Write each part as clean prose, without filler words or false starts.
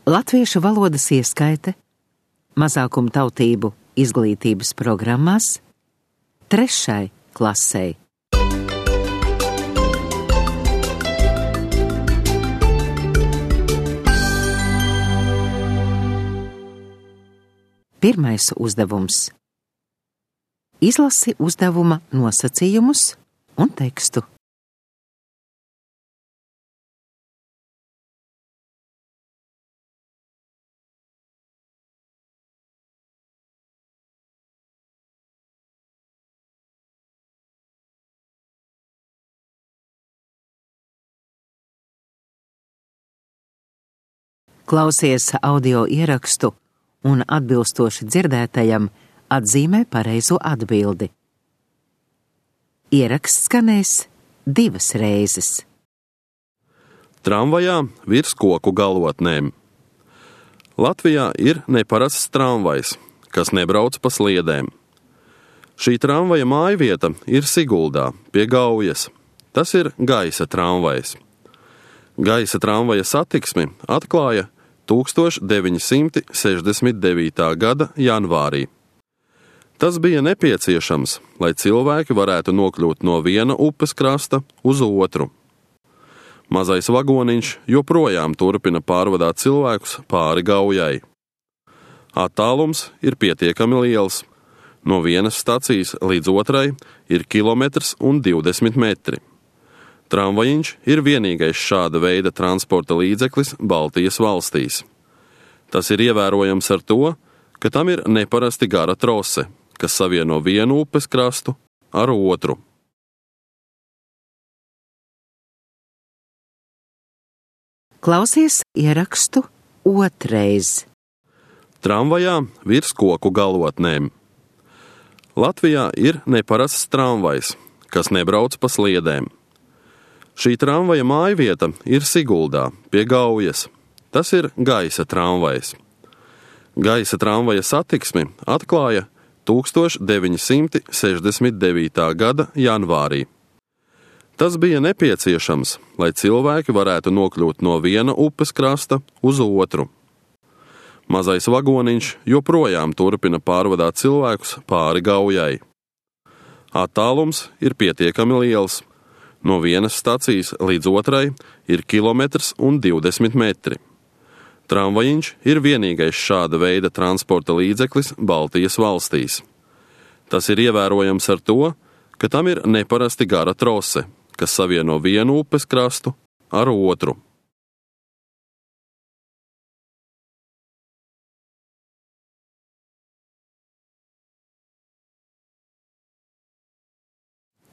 Latviešu valodas ieskaite mazākumtautību izglītības programmās 3. klasei. Pirmais uzdevums. Izlasi uzdevuma nosacījumus un tekstu. Klausies audio ierakstu un atbilstoši dzirdētajam atzīmē pareizo atbildi. Ieraksts skanēs 2 reizes. Tramvajā virs koku galotnēm. Latvijā ir neparasts tramvajs, kas nebrauc pa sliedēm. Šī tramvaja mājvieta ir Siguldā, pie Gaujas. Tas ir gaisa tramvajs. Gaisa tramvaja satiksmi atklāja 1969. gada janvārī. Tas bija nepieciešams, lai cilvēki varētu nokļūt no viena upes krasta uz otru. Mazais vagoniņš joprojām turpina pārvadāt cilvēkus pāri Gaujai. Attālums ir pietiekami liels. No vienas stacijas līdz otrai ir 1,20 metri. Tramvajiņš ir vienīgais šāda veida transporta līdzeklis Baltijas valstīs. Tas ir ievērojams ar to, ka tam ir neparasti gara trose, kas savieno vienu upes krastu ar otru. Klausies ierakstu 2. Tramvajā virs koku galotnēm. Latvijā ir neparasts tramvajs, kas nebrauc pa sliedēm. Šī tramvaja mājvieta ir Siguldā, pie Gaujas. Tas ir gaisa tramvajs. Gaisa tramvaja satiksmi atklāja 1969. gada janvārī. Tas bija nepieciešams, lai cilvēki varētu nokļūt no viena upes krasta uz otru. Mazais vagoniņš joprojām turpina pārvadāt cilvēkus pāri Gaujai. Attālums ir pietiekami liels. No vienas stacijas līdz otrai ir 1,20 metri. Tramvajiņš ir vienīgais šāda veida transporta līdzeklis Baltijas valstīs. Tas ir ievērojams ar to, ka tam ir neparasti gara trose, kas savieno vienu upes krastu ar otru.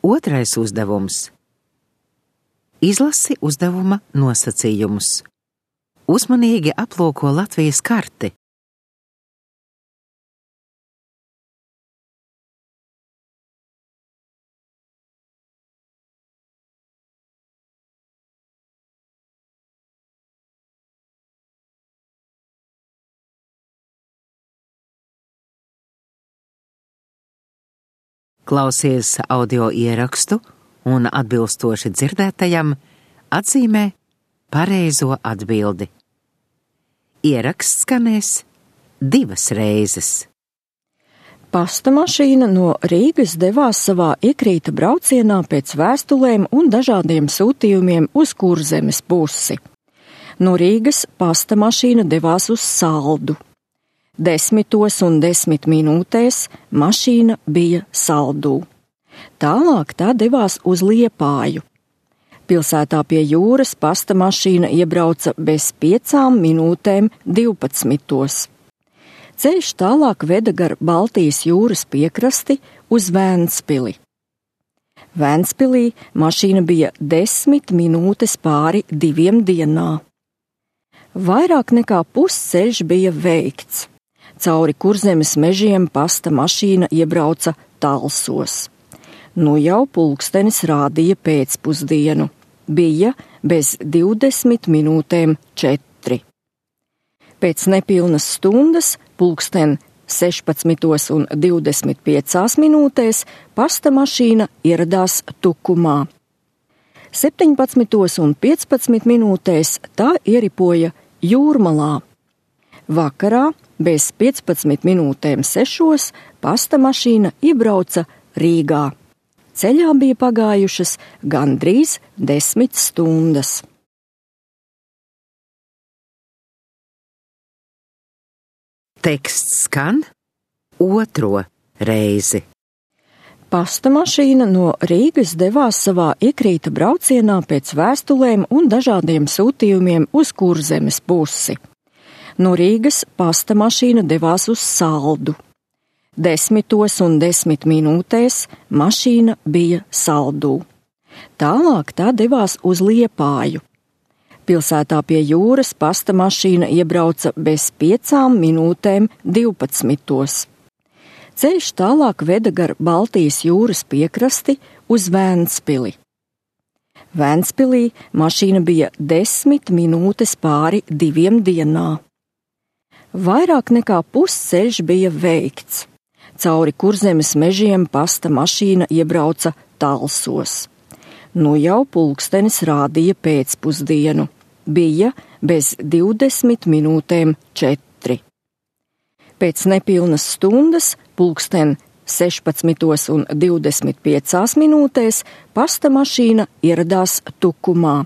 Otrais uzdevums. Izlasi uzdevuma nosacījumus. Uzmanīgi aplūko Latvijas karti. Klausies audio ierakstu un atbilstoši dzirdētajam atzīmē pareizo atbildi. Ieraksts skanēs 2 reizes. Pasta mašīna no Rīgas devās savā iekrīta braucienā pēc vēstulēm un dažādiem sūtījumiem uz Kurzemes pusi. No Rīgas pasta mašīna devās uz Saldu. 10:10 mašīna bija Saldū. Tālāk tā devās uz Liepāju. Pilsētā pie jūras pasta mašīna iebrauca bez 5:12. Ceļš tālāk veda gar Baltijas jūras piekrasti uz Vēnspili. Vēnspilī mašīna bija 10 minūtes pāri 2 dienā. Vairāk nekā pusceļš bija veikts. Cauri Kurzemes mežiem pasta mašīna iebrauca Talsos. Nu jau pulkstenis rādīja pēcpusdienu. Bija bez 4:20. Pēc nepilnas stundas, pulksten 16:25 pasta mašīna ieradās Tukumā. 17:15 tā ieripoja Jūrmalā, Vakarā bez 15 minūtēm 6 pasta mašīna iebrauca Rīgā. Ceļā bija pagājušas gandrīz 10 stundas. Teksts skan otro reizi. Pasta mašīna no Rīgas devās savā iekrīta braucienā pēc vēstulēm un dažādiem sūtījumiem uz Kurzemes pusi. No Rīgas pasta mašīna devās uz Saldu. 10:10 mašīna bija Saldū. Tālāk tā devās uz Liepāju. Pilsētā pie jūras pasta mašīna iebrauca bez 5:12. Ceļš tālāk veda gar Baltijas jūras piekrasti uz Vēnspili. Vēnspilī mašīna bija 10 minūtes pāri 2 dienā. Vairāk nekā pusceļš bija veikts. Cauri Kurzemes mežiem pasta mašīna iebrauca Talsos. Nu jau pulkstenis rādīja pēcpusdienu. Bija bez 20 minūtēm 4. Pēc nepilnas stundas, pulksten 16:25 pasta mašīna ieradās Tukumā.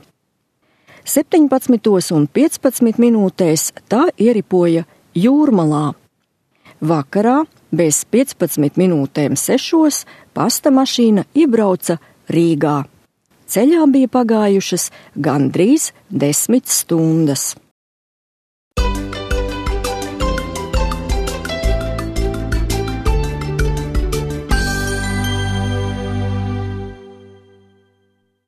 17:15 tā ieripoja Jūrmalā. Vakarā bez 15 minūtēm 6 pasta mašīna iebrauca Rīgā. Ceļā bija pagājušas gandrīz 10 stundas.